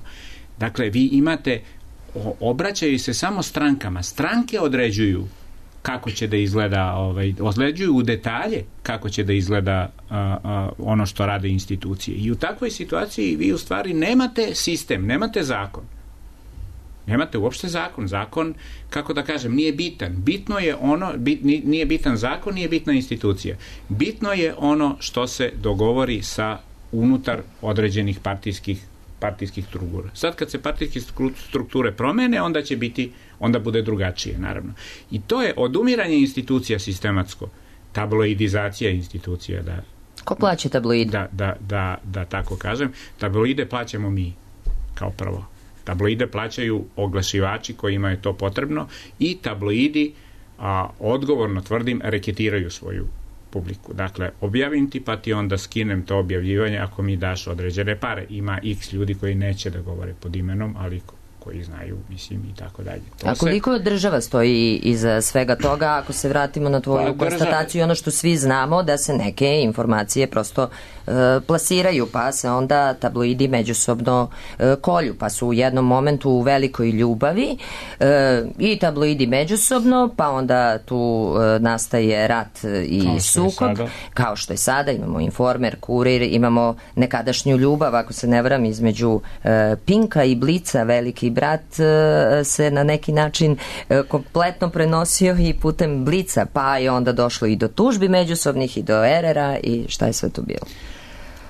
Dakle, vi imate, obraćaju se samo strankama. Stranke određuju kako će da izgleda, ovaj, određuju u detalje kako će da izgleda a, a, ono što rade institucije. I u takvoj situaciji vi u stvari nemate sistem, nemate zakon. Nemate uopšte zakon. Zakon, kako da kažem, nije bitan. Bitno je ono, bit, nije bitan zakon, nije bitna institucija. Bitno je ono što se dogovori sa unutar određenih partijskih partijskih struktura. Sad kad se partijske strukture promene, onda će biti, onda bude drugačije, naravno. I to je odumiranje institucija sistematsko, tabloidizacija institucija. Da, Ko plaća tabloide? Da, da, da, da tako kažem. Tabloide plaćamo mi, kao prvo. Tabloide plaćaju oglašivači kojima je to potrebno i tabloidi, a, odgovorno tvrdim, reketiraju svoju publiku. Dakle, objavim ti pa ti onda skinem to objavljivanje ako mi daš određene pare. Ima x ljudi koji neće da govore pod imenom, ali koji znaju, mislim, i tako dalje. To A koliko se... država stoji iza svega toga, ako se vratimo na tvoju pa, konstataciju, ono što svi znamo, da se neke informacije prosto e, plasiraju, pa se onda tabloidi međusobno e, kolju, pa su u jednom momentu u velikoj ljubavi e, i tabloidi međusobno, pa onda tu e, nastaje rat i kao sukob, kao što je sada, imamo Informer, Kurir, imamo nekadašnju ljubav, ako se ne varam, između e, Pinka i Blica, veliki brat se na neki način kompletno prenosio i putem Blica, pa je onda došlo i do tužbi međusobnih i do erera i šta je sve to bilo?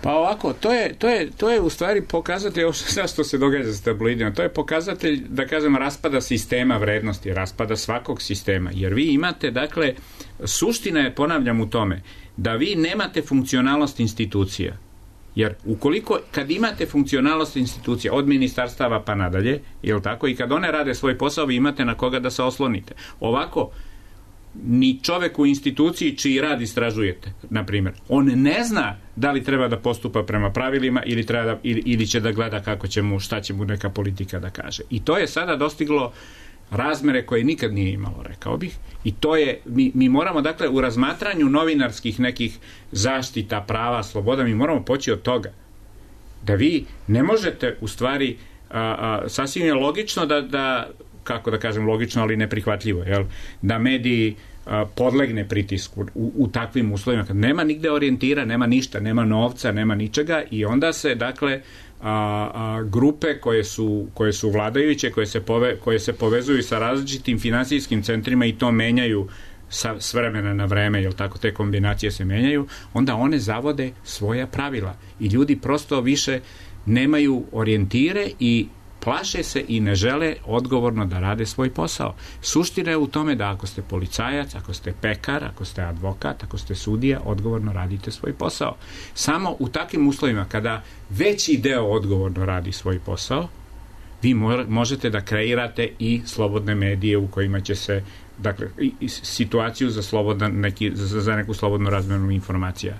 Pa ovako, to je, to je, to je u stvari pokazatelj, ovo što se događa sa tabloidima, to je pokazatelj, da kažem, raspada sistema vrednosti, raspada svakog sistema, jer vi imate, dakle, suština je, ponavljam, u tome, da vi nemate funkcionalnost institucija. Jer ukoliko, kad imate funkcionalnost institucija od ministarstava pa nadalje, jel tako, i kad one rade svoj posao, vi imate na koga da se oslonite. Ovako, ni čovek u instituciji čiji rad istražujete, na primjer, on ne zna da li treba da postupa prema pravilima ili, treba da, ili, ili će da gleda kako će mu, šta će mu neka politika da kaže. I to je sada dostiglo razmere koje nikad nije imalo, rekao bih. I to je, mi, mi moramo, dakle, u razmatranju novinarskih nekih zaštita, prava, sloboda, mi moramo poći od toga. Da vi ne možete, u stvari, a, a, sasvim je logično da, da, kako da kažem, logično, ali neprihvatljivo, jel? Da mediji a, podlegne pritisku u, u takvim uslovima, kad nema nigde orijentira, nema ništa, nema novca, nema ničega, i onda se, dakle, A, a, grupe koje su, koje su vladajuće, koje se, pove, koje se povezuju sa različitim finansijskim centrima i to menjaju sa, s vremena na vreme, jel tako, te kombinacije se menjaju, onda one zavode svoja pravila i ljudi prosto više nemaju orijentire i plaše se i ne žele odgovorno da rade svoj posao. Suština je u tome da ako ste policajac, ako ste pekar, ako ste advokat, ako ste sudija, odgovorno radite svoj posao. Samo u takvim uslovima, kada veći deo odgovorno radi svoj posao, vi možete da kreirate i slobodne medije u kojima će se, dakle, i situaciju za, slobodan, neki, za, za neku slobodnu razmenu informacija.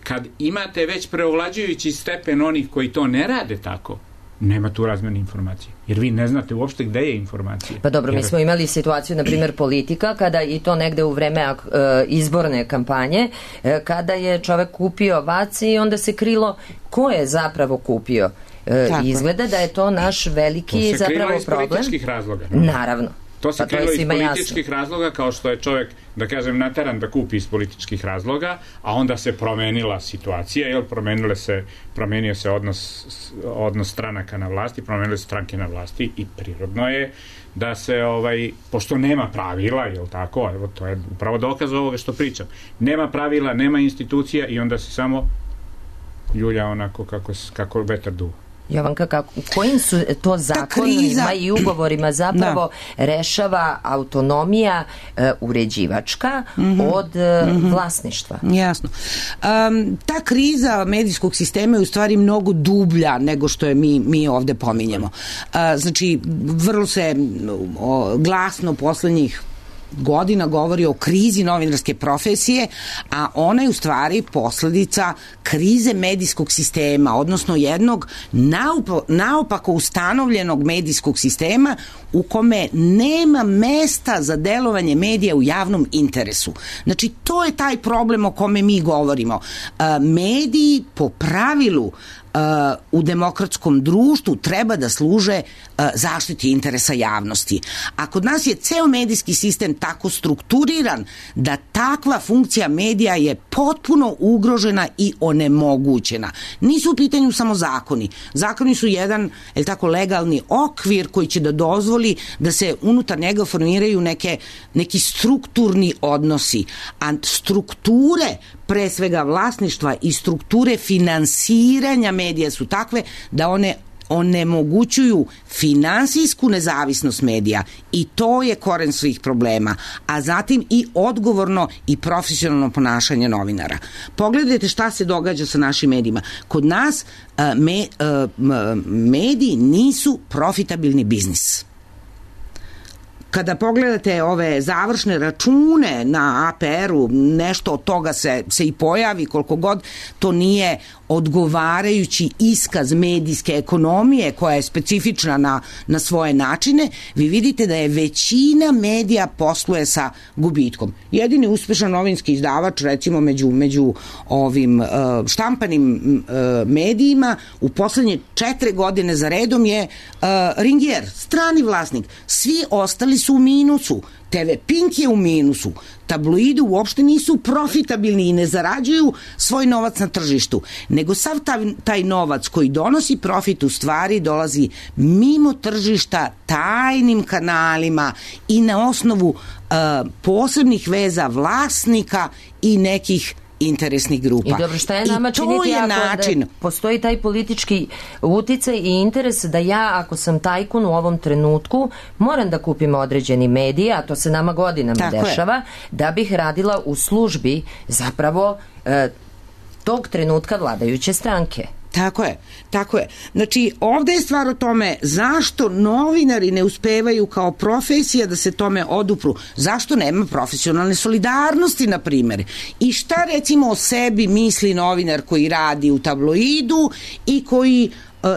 Kad imate već preovlađujući stepen onih koji to ne rade tako, nema tu razmjene informacije. Jer vi ne znate uopšte gde je informacija. Pa dobro, jer... mi smo imali situaciju, na primjer, politika, kada i to negde u vreme e, izborne kampanje, e, kada je čovek kupio vac i onda se krilo ko je zapravo kupio. E, izgleda da je to naš veliki to zapravo problem. To se krilo iz političkih razloga. Naravno. To se pa krilo iz političkih jasno. razloga, kao što je čovjek, da kažem, nateran da kupi iz političkih razloga, a onda se promenila situacija, jel, promenile se, promenio se odnos, odnos stranaka na vlasti, promenile se stranke na vlasti i prirodno je da se, ovaj, pošto nema pravila, jel tako, evo, to je upravo dokaz ovoga što pričam, nema pravila, nema institucija i onda se samo ljulja onako kako, kako vetar duva. Jovanka, kako, kojim su to zakonima i ugovorima zapravo da. rešava autonomija e, uređivačka mm-hmm. od e, mm-hmm. vlasništva? Jasno. Um, ta kriza medijskog sistema je u stvari mnogo dublja nego što je mi, mi ovde pominjemo. Uh, znači, vrlo se o, glasno poslednjih godina govori o krizi novinarske profesije, a ona je u stvari posledica krize medijskog sistema, odnosno jednog naupo, naopako ustanovljenog medijskog sistema u kome nema mesta za delovanje medija u javnom interesu. Znači, to je taj problem o kome mi govorimo. Mediji po pravilu u demokratskom društvu treba da služe zaštiti interesa javnosti. A kod nas je ceo medijski sistem tako strukturiran da takva funkcija medija je potpuno ugrožena i onemogućena. Nisu u pitanju samo zakoni. Zakoni su jedan, je tako, legalni okvir koji će da dozvoli da se unutar njega formiraju neke, neki strukturni odnosi. A strukture, pre svega vlasništva i strukture finansiranja medija su takve da one onemogućuju finansijsku nezavisnost medija i to je koren svih problema, a zatim i odgovorno i profesionalno ponašanje novinara. Pogledajte šta se događa sa našim medijima. Kod nas uh, me, uh, mediji nisu profitabilni biznis. Kada pogledate ove završne račune na A P R-u, nešto od toga se, se i pojavi, koliko god to nije odgovarajući iskaz medijske ekonomije koja je specifična na, na svoje načine, vi vidite da je većina medija posluje sa gubitkom. Jedini uspešan novinski izdavač, recimo među, među ovim uh, štampanim uh, medijima, u poslednje četiri godine za redom je uh, Ringier, strani vlasnik. Svi ostali su u minusu. T V Pink je u minusu. Tabloidi uopšte nisu profitabilni i ne zarađuju svoj novac na tržištu, nego sav taj, taj novac koji donosi profit u stvari dolazi mimo tržišta, tajnim kanalima i na osnovu uh, posebnih veza vlasnika i nekih interesnih grupa. I dobro, šta je nama I to činiti je ako način. Da postoji taj politički uticaj i interes da ja, ako sam tajkun u ovom trenutku, moram da kupim određeni medije, a to se nama godinama Tako dešava, je. da bih radila u službi zapravo e, tog trenutka vladajuće stranke. Tako je, tako je. Znači, ovde je stvar o tome zašto novinari ne uspevaju kao profesija da se tome odupru. Zašto nema profesionalne solidarnosti, na primjer. I šta recimo o sebi misli novinar koji radi u tabloidu i koji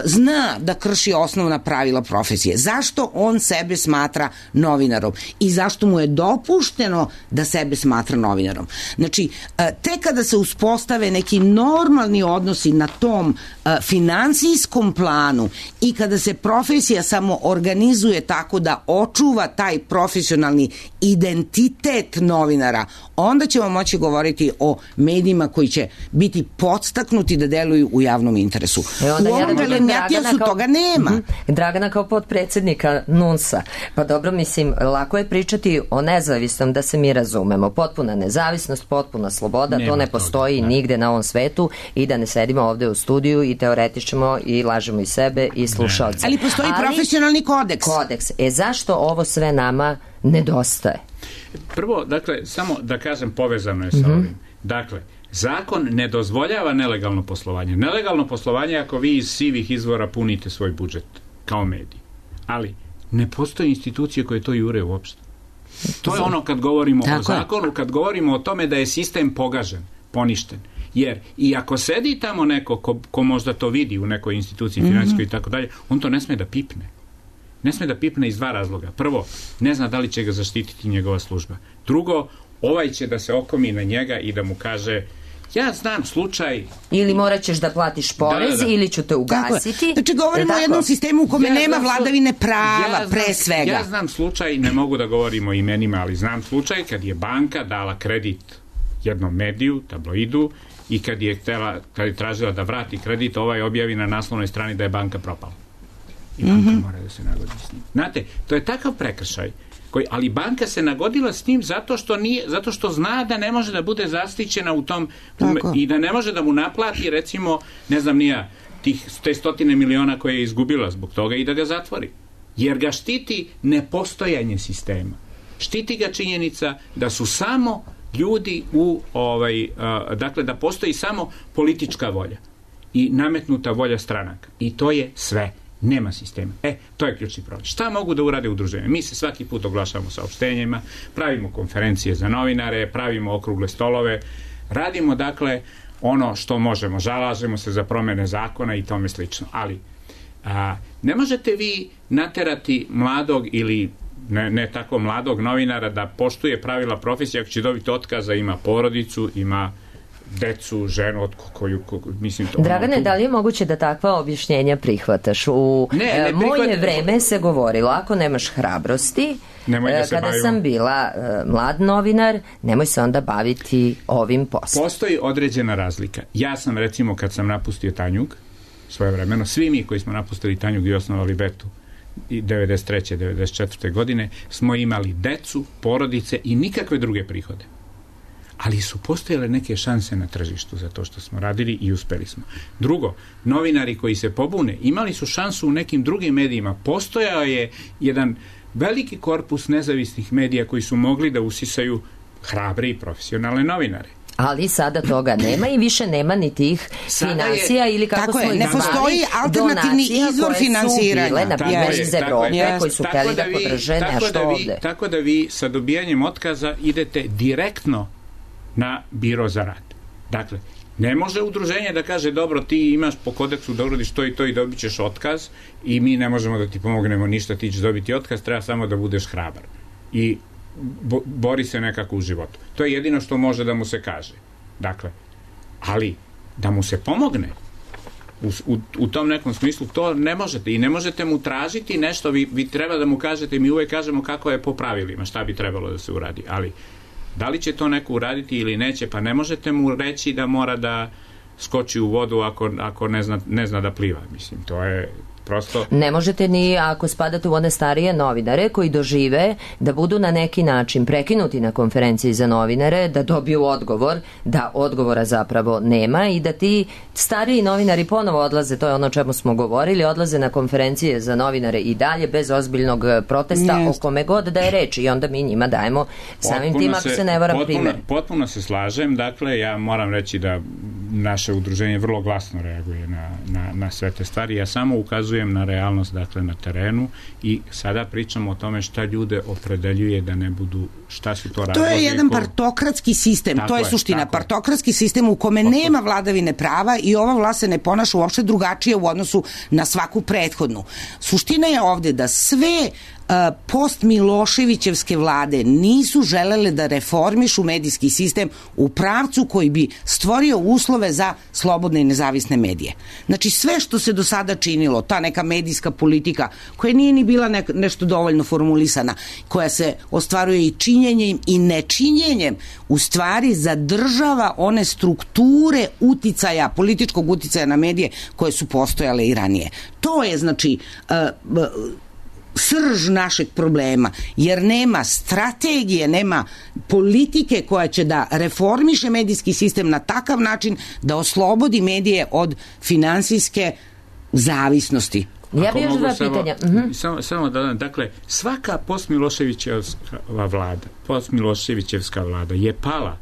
zna da krši osnovna pravila profesije. Zašto on sebe smatra novinarom i zašto mu je dopušteno da sebe smatra novinarom? Znači, tek kada se uspostave neki normalni odnosi na tom finansijskom planu i kada se profesija samo organizuje tako da očuva taj profesionalni identitet novinara, onda ćemo moći govoriti o medijima koji će biti podstaknuti da deluju u javnom interesu. E onda u ovom ja Velenjatijasu kao, toga nema. Mm-hmm, Dragana kao potpredsednika NUNS-a. Pa dobro, mislim, lako je pričati o nezavisnom, da se mi razumemo. Potpuna nezavisnost, potpuna sloboda, nema to ne postoji toga, nigde na ovom svetu i da ne sedimo ovde u studiju i teoretičemo i lažemo i sebe i slušalce. Ali postoji Ali, profesionalni kodeks. Kodeks. E zašto ovo sve nama nedostaje? Prvo, dakle, samo da kažem, povezano je sa mm-hmm. ovim. Dakle, zakon ne dozvoljava nelegalno poslovanje. Nelegalno poslovanje ako vi iz sivih izvora punite svoj budžet kao medij. Ali ne postoji institucije koje to jure uopšte. To je ono kad govorimo Tako o zakonu, je. Kad govorimo o tome da je sistem pogažen, poništen. Jer i ako sedi tamo neko ko, ko možda to vidi u nekoj instituciji finansijskoj mm-hmm. i tako dalje, on to ne sme da pipne. Ne sme da pipne iz dva razloga. Prvo, ne zna da li će ga zaštititi njegova služba. Drugo, ovaj će da se okomi na njega i da mu kaže ja znam slučaj... Ili morat ćeš da platiš porez, da, da. ili ću te ugasiti. Znači, govorimo o jednom sistemu u kome ja nema vladavine prava, ja znam, pre svega. Ja znam slučaj, ne mogu da govorim o imenima, ali znam slučaj kad je banka dala kredit jednom mediju, tabloidu, i kad je, htela, kad je tražila da vrati kredit, ovaj objavi na naslovnoj strani da je banka propala. I banka mm-hmm. mora da se nagodi s njim. Znate, to je takav prekršaj. Koji, ali banka se nagodila s njim zato što nije, zato što zna da ne može da bude zaštićena u tom Tako. i da ne može da mu naplati recimo, ne znam nija, tih te stotine miliona koje je izgubila zbog toga i da ga zatvori. Jer ga štiti nepostojanje sistema. Štiti ga činjenica da su samo ljudi u ovaj, uh, dakle da postoji samo politička volja i nametnuta volja stranaka. I to je sve. Nema sistema. E, to je ključni problem. Šta mogu da urade udruženja? Mi se svaki put oglašavamo saopštenjima, pravimo konferencije za novinare, pravimo okrugle stolove, radimo dakle ono što možemo, zalažemo se za promene zakona i tome slično. Ali a, ne možete vi naterati mladog ili ne, ne tako mladog novinara da poštuje pravila profesije ako će dobiti otkaza, ima porodicu, ima decu, ženu, od koju, koju mislim to... Dragane, ono, da li je moguće da takva objašnjenja prihvataš? U ne, ne e, moje prihvat... vreme se govorilo, ako nemaš hrabrosti, da kada bavimo. sam bila e, mlad novinar, nemoj se onda baviti ovim poslom. Postoji određena razlika. Ja sam, recimo, kad sam napustio Tanjug, svojevremeno, svi mi koji smo napustili Tanjug i osnovali Betu, devedeset treće devedeset četvrte godine, smo imali decu, porodice i nikakve druge prihode. Ali su postojale neke šanse na tržištu za to što smo radili i uspeli smo. Drugo, novinari koji se pobune imali su šansu u nekim drugim medijima. Postojao je jedan veliki korpus nezavisnih medija koji su mogli da usisaju hrabre i profesionalne novinare. Ali sada toga nema i više nema ni tih financija ili kako smo ih zvali, ne postoji alternativni izvor finansiranja. Na primjer iz Evrope koji su hteli da podrže nešto ovde. Tako da vi sa dobijanjem otkaza idete direktno na biro za rad. Dakle, ne može udruženje da kaže dobro, ti imaš po kodeksu da uradiš to i to i dobit ćeš otkaz i mi ne možemo da ti pomognemo ništa, ti ćeš dobiti otkaz, treba samo da budeš hrabar i bo, bori se nekako u životu. To je jedino što može da mu se kaže. Dakle, ali da mu se pomogne u, u, u tom nekom smislu, to ne možete i ne možete mu tražiti nešto, vi, vi treba da mu kažete, mi uvek kažemo kako je po pravilima, šta bi trebalo da se uradi, ali da li će to neko uraditi ili neće, pa ne možete mu reći da mora da skoči u vodu ako, ako ne, zna, ne zna da pliva. Mislim, to je prosto... Ne možete ni ako spadate u one starije novinare koji dožive da budu na neki način prekinuti na konferenciji za novinare, da dobiju odgovor, da odgovora zapravo nema i da ti stariji novinari ponovo odlaze, to je ono o čemu smo govorili, odlaze na konferencije za novinare i dalje bez ozbiljnog protesta yes. o kome god da je reč i onda mi njima dajemo samim tim, ako se, se ne varam, potpuno, primjer. Potpuno se slažem, dakle ja moram reći da naše udruženje vrlo glasno reaguje na, na, na sve te stvari. Ja samo ukazujem na realnost, dakle, na terenu i sada pričamo o tome šta ljude opredeljuje da ne budu, šta su to razlozi. To je jedan ko... partokratski sistem, tako to je suština. Je, partokratski sistem u kome Otko... nema vladavine prava i ova vlast se ne ponaša uopšte drugačije u odnosu na svaku prethodnu. Suština je ovde da sve post Miloševićevske vlade nisu želele da reformišu medijski sistem u pravcu koji bi stvorio uslove za slobodne i nezavisne medije. Znači sve što se do sada činilo, ta neka medijska politika koja nije ni bila ne, nešto dovoljno formulisana, koja se ostvaruje i činjenjem i nečinjenjem, u stvari zadržava one strukture uticaja, političkog uticaja na medije koje su postojale i ranije. To je znači uh, uh, srž našeg problema, jer nema strategije, nema politike koja će da reformiše medijski sistem na takav način da oslobodi medije od finansijske zavisnosti. Ja bih još dva pitanja. Uh-huh. Samo, samo da, dakle, svaka postmiloševićeva vlada, postmiloševićevska vlada je pala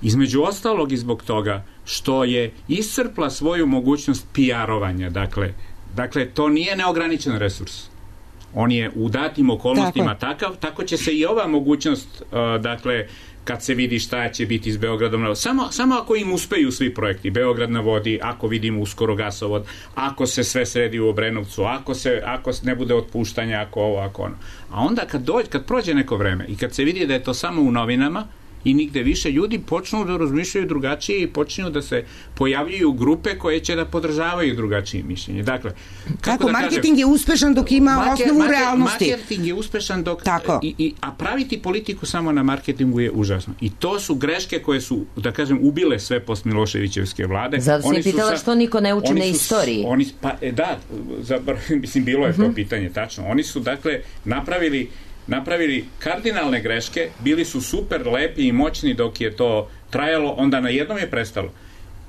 između ostalog i zbog toga što je iscrpla svoju mogućnost P R-ovanja. Dakle, dakle, to nije neograničen resurs. On je u datim okolnostima tako. takav, tako će se i ova mogućnost, uh, dakle, kad se vidi šta će biti s Beogradom, samo, samo ako im uspeju svi projekti, Beograd na vodi, ako vidimo uskoro gasovod, ako se sve sredi u Obrenovcu, ako se ako ne bude otpuštanja, ako ovo, ako ono. A onda kad, dođe, kad prođe neko vreme i kad se vidi da je to samo u novinama, i nigde više, ljudi počnu da razmišljaju drugačije i počinju da se pojavljuju grupe koje će da podržavaju drugačije mišljenje. Dakle, kako tako, da marketing kažem, je uspešan dok ima market, osnovu market, realnosti. Marketing je uspešan dok... I, i, a praviti politiku samo na marketingu je užasno. I to su greške koje su, da kažem, ubile sve post-Miloševićevske vlade. Zato sam je pitala sa, što niko ne uči na istoriji. Oni, pa, e, da, zabar, mislim, bilo je uh-huh. to pitanje, tačno. Oni su, dakle, napravili napravili kardinalne greške, bili su super lepi i moćni dok je to trajalo, onda na jednom je prestalo.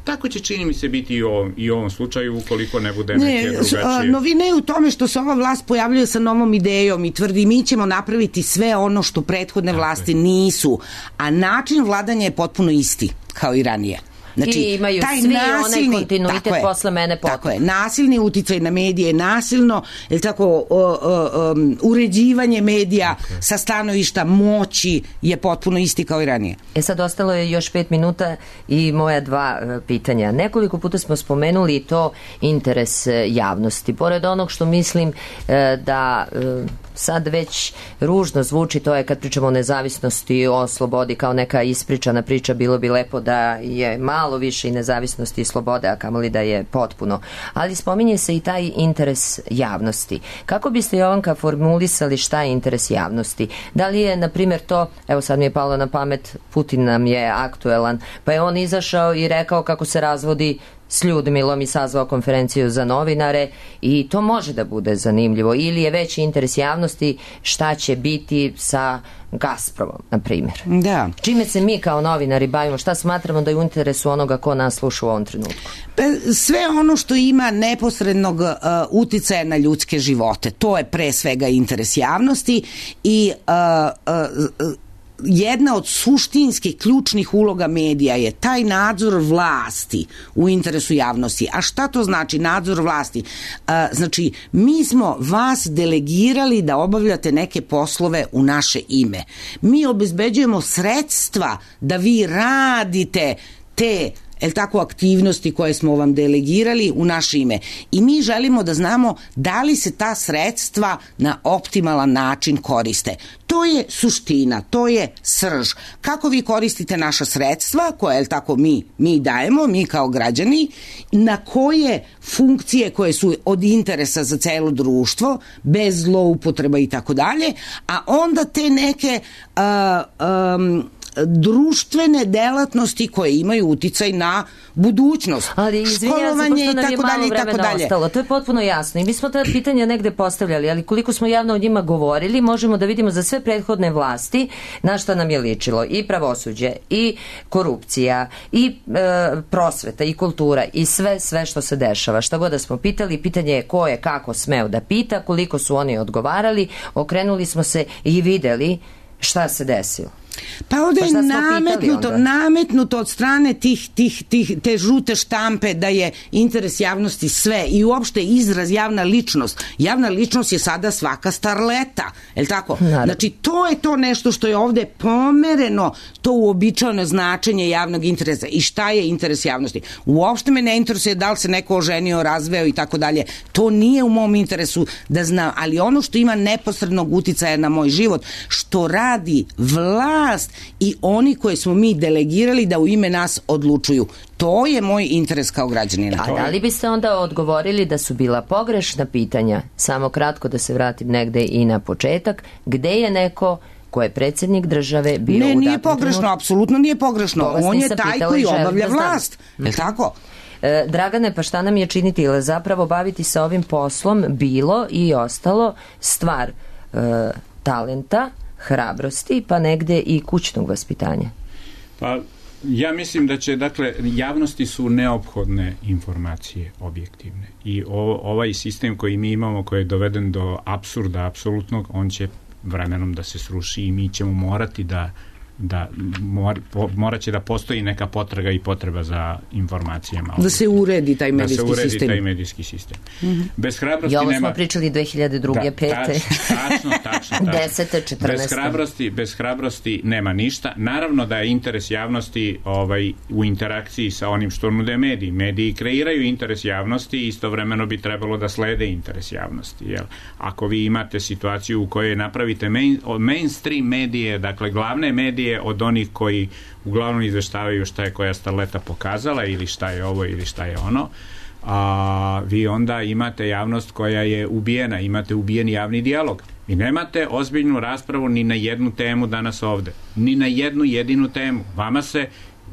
Tako će, čini mi se, biti i u ovom, i u ovom slučaju ukoliko ne bude ne, neke drugačije. Novina je u tome što se ova vlast pojavljuje sa novom idejom i tvrdi mi ćemo napraviti sve ono što prethodne vlasti nisu, a način vladanja je potpuno isti kao i ranije. Znači, i imaju taj svi nasilni, onaj kontinuitet posle mene potpuno. Tako je, nasilni uticaj na medije, nasilno, je tako, o, o, um, uređivanje medija okay. sa stanovišta moći je potpuno isti kao i ranije. E sad ostalo je još pet minuta i moja dva uh, pitanja. Nekoliko puta smo spomenuli to interes uh, javnosti. Pored onog što mislim uh, da uh, sad već ružno zvuči, to je kad pričamo o nezavisnosti, o slobodi kao neka ispričana priča, bilo bi lepo da je malo više i nezavisnosti i slobode, a kamoli da je potpuno. Ali spominje se i taj interes javnosti. Kako biste, Jovanka, formulisali šta je interes javnosti? Da li je, na primjer, to, evo sad mi je palo na pamet, Putin nam je aktuelan, pa je on izašao i rekao kako se razvodi s Ljudmilom i sazvao konferenciju za novinare i to može da bude zanimljivo. Ili je veći interes javnosti šta će biti sa Gazpromom, na primjer. Da. Čime se mi kao novinari bavimo, šta smatramo da je u interesu onoga ko nas sluša u ovom trenutku? Sve ono što ima neposrednog uh, uticaja na ljudske živote, to je pre svega interes javnosti i uh, uh, jedna od suštinskih ključnih uloga medija je taj nadzor vlasti u interesu javnosti. A šta to znači nadzor vlasti? A, znači, mi smo vas delegirali da obavljate neke poslove u naše ime. Mi obezbeđujemo sredstva da vi radite te el tako, aktivnosti koje smo vam delegirali u naše ime. I mi želimo da znamo da li se ta sredstva na optimalan način koriste. To je suština, to je srž. Kako vi koristite naša sredstva, koje, el tako, mi, mi dajemo, mi kao građani, na koje funkcije koje su od interesa za celo društvo, bez zloupotreba i tako dalje, a onda te neke uh, um, društvene delatnosti koje imaju uticaj na budućnost. Ali školovanje i tako dalje i tako dalje. Ostalo. To je potpuno jasno i mi smo ta pitanja negde postavljali, ali koliko smo javno o njima govorili, možemo da vidimo za sve prethodne vlasti na šta nam je ličilo i pravosuđe i korupcija i e, prosveta i kultura i sve sve što se dešava. Šta god da smo pitali, pitanje je ko je kako smeo da pita, koliko su oni odgovarali, okrenuli smo se i videli šta se desilo. Pa ovde je pa nametnuto, nametnuto od strane tih, tih, tih, te žute štampe da je interes javnosti sve i uopšte izraz javna ličnost. Javna ličnost je sada svaka starleta, je li tako? Naravno. Znači, to je to nešto što je ovde pomereno, to uobičajeno značenje javnog interesa. I šta je interes javnosti? Uopšte me ne interesuje da li se neko oženio, razveo i tako dalje. To nije u mom interesu da znam, ali ono što ima neposrednog uticaja na moj život, što radi vlast i oni koje smo mi delegirali da u ime nas odlučuju. To je moj interes kao građanina. A da li biste onda odgovorili da su bila pogrešna pitanja? Samo kratko da se vratim negde i na početak. Gde je neko ko je predsjednik države bio ne, u nije pogrešno, trenut... apsolutno nije pogrešno. On je taj koji obavlja vlast. Je li tako? E, Dragane, pa šta nam je činiti? Ili zapravo baviti se ovim poslom bilo i ostalo stvar e, talenta, hrabrosti, pa negde i kućnog vaspitanja? Pa ja mislim da će, dakle, javnosti su neophodne informacije objektivne i o, ovaj sistem koji mi imamo, koji je doveden do apsurda apsolutnog, on će vremenom da se sruši i mi ćemo morati da da mor, po, morat će da postoji neka potraga i potreba za informacijama. Da se uredi taj medijski sistem. Da se uredi sistem. taj medijski sistem. Mm-hmm. Bez hrabrosti I ovo nema... smo pričali dve hiljade druge, da, pete Tačno, tačno, tačno. desete, četrnaeste. Bez hrabrosti, bez hrabrosti nema ništa. Naravno da je interes javnosti ovaj, u interakciji sa onim što nude mediji. Mediji kreiraju interes javnosti i istovremeno bi trebalo da slede interes javnosti. Jel? Ako vi imate situaciju u kojoj napravite main, mainstream medije, dakle glavne medije od onih koji uglavnom izveštavaju šta je koja starleta pokazala ili šta je ovo ili šta je ono, a vi onda imate javnost koja je ubijena, imate ubijen javni dijalog. Vi nemate ozbiljnu raspravu ni na jednu temu danas ovde. Ni na jednu jedinu temu. Vama se,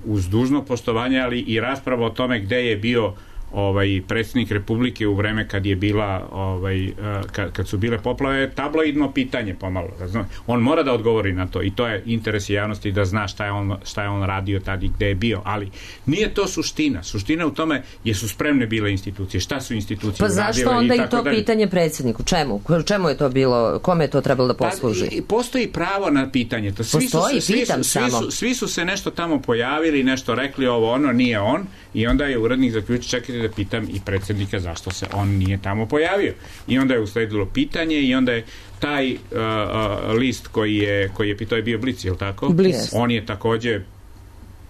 uz dužno poštovanje, ali i rasprava o tome gde je bio ovaj predsjednik Republike u vreme kad je bila ovaj kad, kad su bile poplave, tabloidno pitanje pomalo, razumete? On mora da odgovori na to i to je interes javnosti da zna šta je on šta je on radio tad i gde je bio, ali nije to suština. Suština u tome jesu spremne bile institucije. Šta su institucije uradile? Pa zašto onda i, i to dalje. Pitanje predsjedniku? Čemu? Čemu je to bilo? Kome je to trebalo da posluži? Pa, postoji pravo na pitanje. To svi Postoji, su, svi, pitam su, svi, samo. su, svi su se nešto tamo pojavili, nešto rekli, ovo ono, nije on, i onda je urednik zaključio, čekajte da pitam i predsjednika zašto se on nije tamo pojavio. I onda je usledilo pitanje i onda je taj uh, uh, list koji je, koji je pitao je bio Blic, je li tako? Blic. On je takođe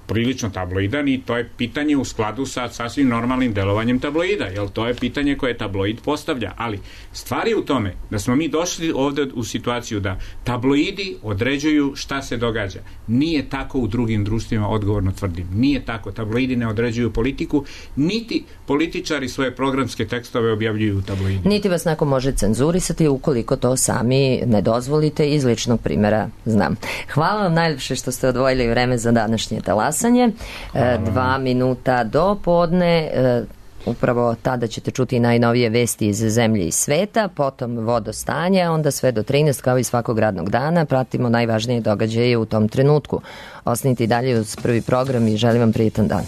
prilično tabloidan i to je pitanje u skladu sa sasvim normalnim delovanjem tabloida, jer to je pitanje koje tabloid postavlja, ali stvar je u tome da smo mi došli ovde u situaciju da tabloidi određuju šta se događa. Nije tako u drugim društvima, odgovorno tvrdim. Nije tako. Tabloidi ne određuju politiku, niti političari svoje programske tekstove objavljuju u tabloidima. Niti vas neko može cenzurisati ukoliko to sami ne dozvolite, iz ličnog primjera znam. Hvala vam najljepše što ste odvojili vreme za današnje talas. Dva minuta do podne, upravo tada ćete čuti najnovije vesti iz zemlje i sveta, potom vodostanje, onda sve do trinaest kao i svakog radnog dana pratimo najvažnije događaje u tom trenutku. Ostanite i dalje uz Prvi program i želim vam prijetan dan.